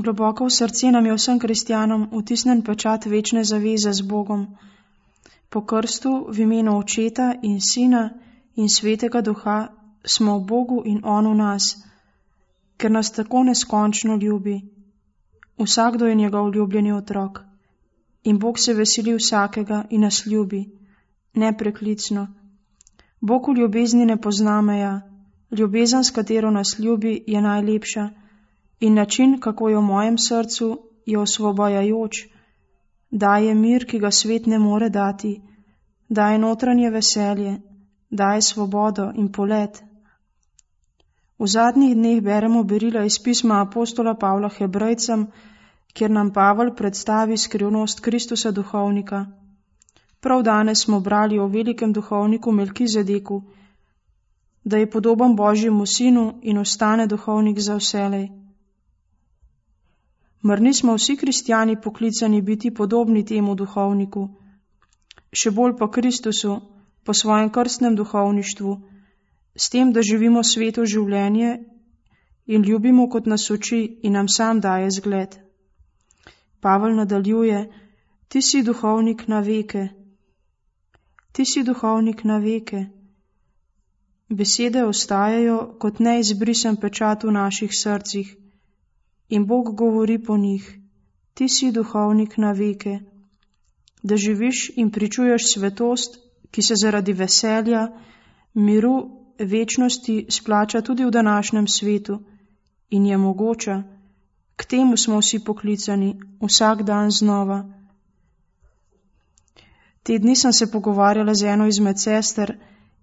Globoko v srce nam je vsem kristjanom vtisnen pečat večne zaveze z Bogom. Po krstu v imenu Očeta in Sina in Svetega Duha smo v Bogu in On v nas, ker nas tako neskončno ljubi. Vsakdo je njegov ljubljeni otrok. In Bog se veseli vsakega in nas ljubi, nepreklicno. Bog v ljubezni ne pozna meja. Ljubezen, s katero nas ljubi, je najlepša in način, kako je v mojem srcu, je osvobajajoč. Daje mir, ki ga svet ne more dati, daje notranje veselje, daje svobodo in polet. V zadnjih dneh beremo berila iz pisma apostola Pavla Hebrejcem, kjer nam Pavel predstavi skrivnost Kristusa duhovnika. Prav danes smo brali o velikem duhovniku Melkizedeku, da je podoben Božjemu sinu in ostane duhovnik za vselej. Mar nismo vsi kristjani poklicani biti podobni temu duhovniku, še bolj pa Kristusu, po svojem krstnem duhovništvu, s tem, da živimo sveto življenje in ljubimo, kot nas uči in nam sam daje zgled. Pavel nadaljuje: ti si duhovnik na veke. Ti si duhovnik na veke. Besede ostajajo kot neizbrisen pečat v naših srcih in Bog govori po njih: ti si duhovnik na veke, da živiš in pričuješ svetost, ki se zaradi veselja, miru, večnosti splača tudi v današnjem svetu in je mogoča. K temu smo vsi poklicani, vsak dan znova. Te dni sem se pogovarjala z eno izmed sester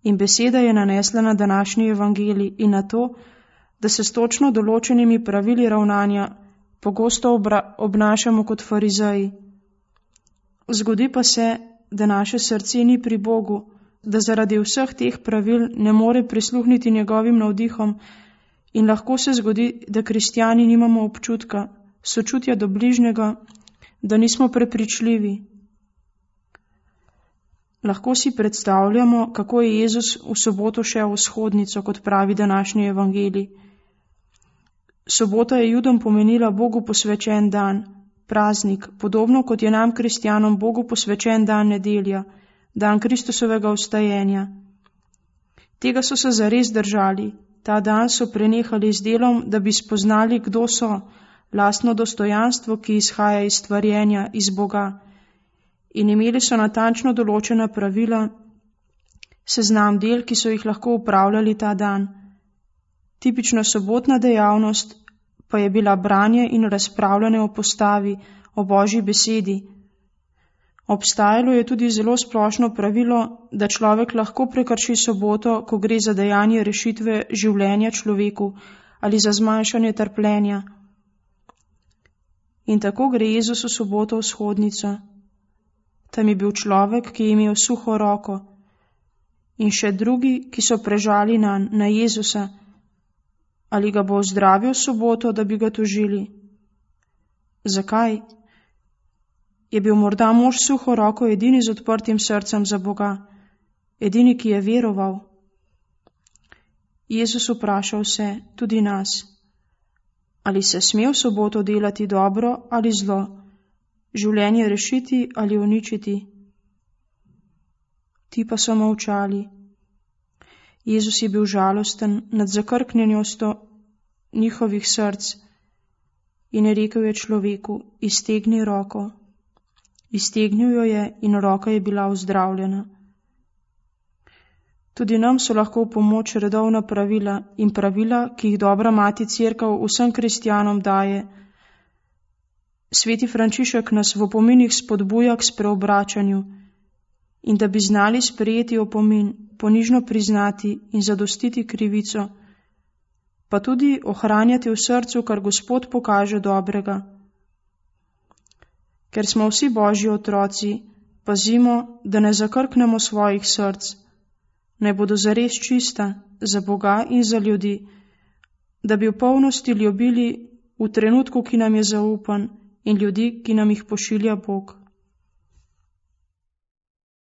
in beseda je nanesla na današnji evangelij in na to, da se s točno določenimi pravili ravnanja pogosto obnašamo kot farizeji. Zgodi pa se, da naše srce ni pri Bogu, da zaradi vseh teh pravil ne more prisluhniti njegovim navdihom in lahko se zgodi, da kristjani nimamo občutka, sočutja do bližnjega, da nismo prepričljivi. Lahko si predstavljamo, kako je Jezus v soboto šel v shodnico, kot pravi današnji evangelij. Sobota je Judom pomenila Bogu posvečen dan, praznik, podobno kot je nam kristjanom Bogu posvečen dan nedelja, dan Kristusovega vstajenja. Tega so se zares držali, ta dan so prenehali z delom, da bi spoznali, kdo so, lastno dostojanstvo, ki izhaja iz stvarjenja, iz Boga. In imeli so natančno določena pravila, seznam del, ki so jih lahko upravljali ta dan. Tipična sobotna dejavnost pa je bila branje in razpravljanje o postavi, o Božji besedi. Obstajalo je tudi zelo splošno pravilo, da človek lahko prekrši soboto, ko gre za dejanje rešitve življenja človeku ali za zmanjšanje trpljenja. In tako gre Jezus v soboto v shodnico. Tam je bil človek, ki je imel suho roko, in še drugi, ki so prežali na Jezusa, ali ga bo ozdravil soboto, da bi ga tožili. Zakaj? Je bil morda mož suho roko edini z odprtim srcem za Boga, edini, ki je veroval? Jezus vpraša vse, tudi nas, ali se sme v soboto delati dobro ali zlo, življenje rešiti ali uničiti. Ti pa so molčali. Jezus je bil žalosten nad zakrknjenostjo njihovih src in je rekel je človeku: iztegni roko. Iztegnil jo je in roka je bila ozdravljena. Tudi nam so lahko v pomoč redovna pravila in pravila, ki jih dobra mati Cerkev vsem kristjanom daje. Sveti Frančišek nas v opominih spodbuja k spreobračanju in da bi znali sprejeti opomin, ponižno priznati in zadostiti krivico, pa tudi ohranjati v srcu, kar Gospod pokaže dobrega. Ker smo vsi Božji otroci, pazimo, da ne zakrknemo svojih src, naj bodo zares čista za Boga in za ljudi, da bi v polnosti ljubili v trenutku, ki nam je zaupan, in ljudi, ki nam jih pošilja Bog.